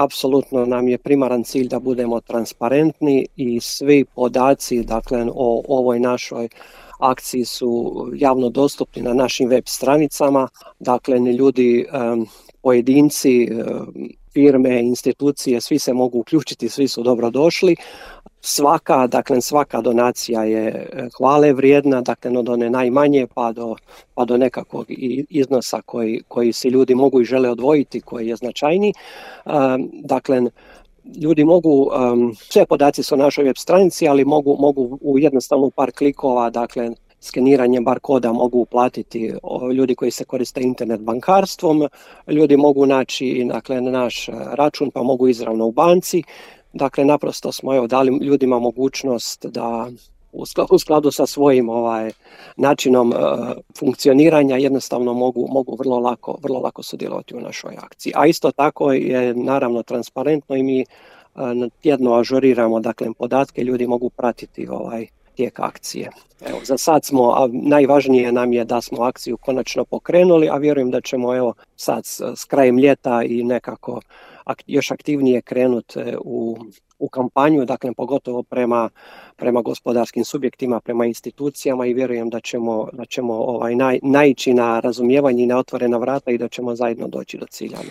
apsolutno nam je primaran cilj da budemo transparentni i svi podaci, dakle, o ovoj našoj akciji su javno dostupni na našim web stranicama. Dakle, ni ljudi, pojedinci, firme, institucije, svi se mogu uključiti, svi su dobrodošli. Svaka donacija je hvale vrijedna, dakle od one najmanje pa do nekakvog iznosa koji si ljudi mogu i žele odvojiti, koji je značajniji. Dakle, ljudi mogu, sve podaci su na našoj web stranici, ali mogu u jednostavno par klikova, dakle skeniranjem bar koda mogu uplatiti ljudi koji se koriste internet bankarstvom, ljudi mogu naći, dakle, naš račun pa mogu izravno u banci. Dakle, naprosto smo dali ljudima mogućnost da u skladu sa svojim načinom funkcioniranja jednostavno mogu vrlo lako sudjelovati u našoj akciji. A isto tako je naravno transparentno i mi tjedno ažuriramo, dakle, podatke, ljudi mogu pratiti tijek akcije. Evo, za sad najvažnije nam je da smo akciju konačno pokrenuli, a vjerujem da ćemo sad s krajem ljeta i nekako još aktivnije krenuti u kampanju, dakle pogotovo prema gospodarskim subjektima, prema institucijama, i vjerujem da ćemo naići na razumijevanje i na otvorena vrata i da ćemo zajedno doći do cilja.